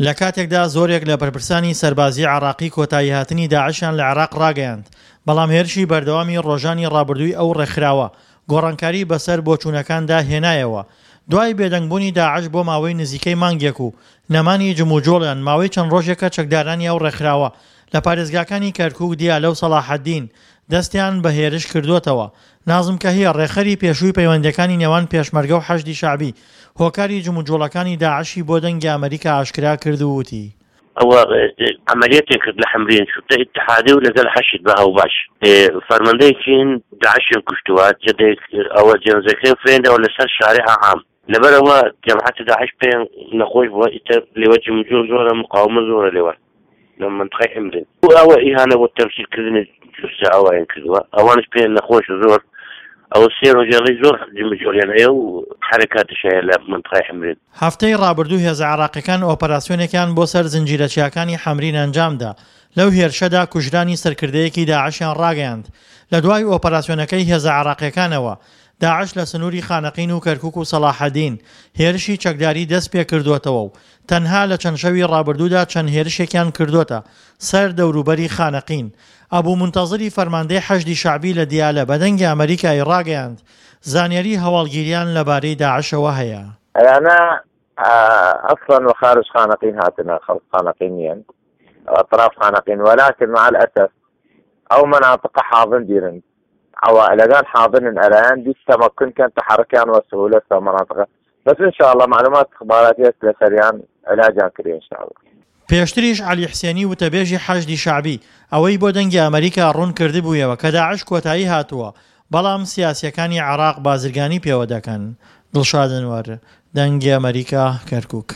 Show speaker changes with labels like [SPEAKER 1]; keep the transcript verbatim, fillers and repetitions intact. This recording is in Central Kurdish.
[SPEAKER 1] لە کاتێکدا زۆرێک لە بەرپرسانی سەربازی عێراقی کۆتاییهاتنی داعشیان لە عێراق ڕاگەیاند، بەڵام هێرشی بەردەوامی ڕۆژانی ڕابردووی ئەو ڕێکخراوە گۆڕانکاری بەسەر بۆچوونەکاندا هێنایەوە. دوای بێدەنگبوونی داعش بۆ ماوەی نزیکەی مانگێک و نەمانی جموجۆڵیان ماوەی چەند ڕۆژێکە چەکدارانی ئەو ڕێکخراوە لە پارێزگاکانی کەرکوک، دیالە و سەڵاحەدین دەستیان بە هێرش کردووەتەوە. نازم کەهیە، ڕێکخەری پێشووی پەیوەندییەکانی نێوان پێشمەرگە و حەشدی شەعبی، هۆکاری جموجوڵەکانی داعشی بۆ دەنگی ئەمەریکا ئاشکرا کرد و وتی.
[SPEAKER 2] ئەوە عەمەلیەتێک کرد لە حەمرین شورتە ئیتحادی و لەگەل حەشد بە هاوباش فەرماندەیەکین داعشیان کوشتووە جەدەیەک ئەوە جەنزەکەی فرێندەوە لەسەر شارع عام لەبەرەوە جەماعەتی داعش پێیان نەخۆش بووە ئیتر لێوە جموجۆڵ زۆرە مقاومە زۆرە لێوە لە منطقەی حمرین و ئەوە ئیهانە بۆ تەمسیلکردنی جوسە ئەویان کردووە ئەوانش پێیان نەخۆش زۆر ئەوە سێ ڕۆژێڵی زۆر جموجۆڵیان هەیە و حرکاتش هەیە لە منطقەی حمرین.
[SPEAKER 1] هەفتەی ڕابردوو هێزە عێراقیەکان ئۆپەراسیۆنێکیان بۆ سەر زنجیرە چیاکانی حەمرین ئەنجامدا، لەو هێرشەدا کوژرانی سەرکردەیەکی داعشیان ڕاگەیاند. لە دوای ئۆپەراسیۆنەکەی هێزە عێراقیەکانەوە، داعش لە سنووری خانەقین و کەرکوک و سەڵاحەدین هێرشی چەکداری دەستپێکردووەتەوە و تەنها لە چەند شەوی ڕابردوودا چەند هێرشێکیان کردۆتە سەر دەوروبەری خانەقین. ئەبو مونتەزری فەرماندەی حەشدی شەعبی لە دیالە بە دەنگی ئەمەریکای ڕاگەیاند، زانیاری هەواڵگیریان لەبارەی داعشەوە هەیە.
[SPEAKER 3] ئەیانە ئەسڵەن وە خارج خانەقین هاتنە، خەڵک خانەقین نییەن، ئەطراف خانەقین، وەلاکن مع الأسف ئەو مناطق حاضن دیرن عوائلەگان حاضرن ئەرایان دیس تمکن کەن تحركیان وە سهولة في مناطق بس إن شاء الله معلومات استخباراتية لەسەریان علاجیان کردی إن شاء الله.
[SPEAKER 1] پێشتریش عەلی حسێنی وتەبێژی حەشدی شەعبی ئەوەی بۆ دەنگی ئەمەریکا ڕوون کردبوویەوە کە داعش کۆتایی هاتووە، بەڵام سیاسییەکانی عێراق بازرگانی پێوە دەکەن. دڵشاد ئەنوەر، دەنگی ئەمەریکا، کەرکوک.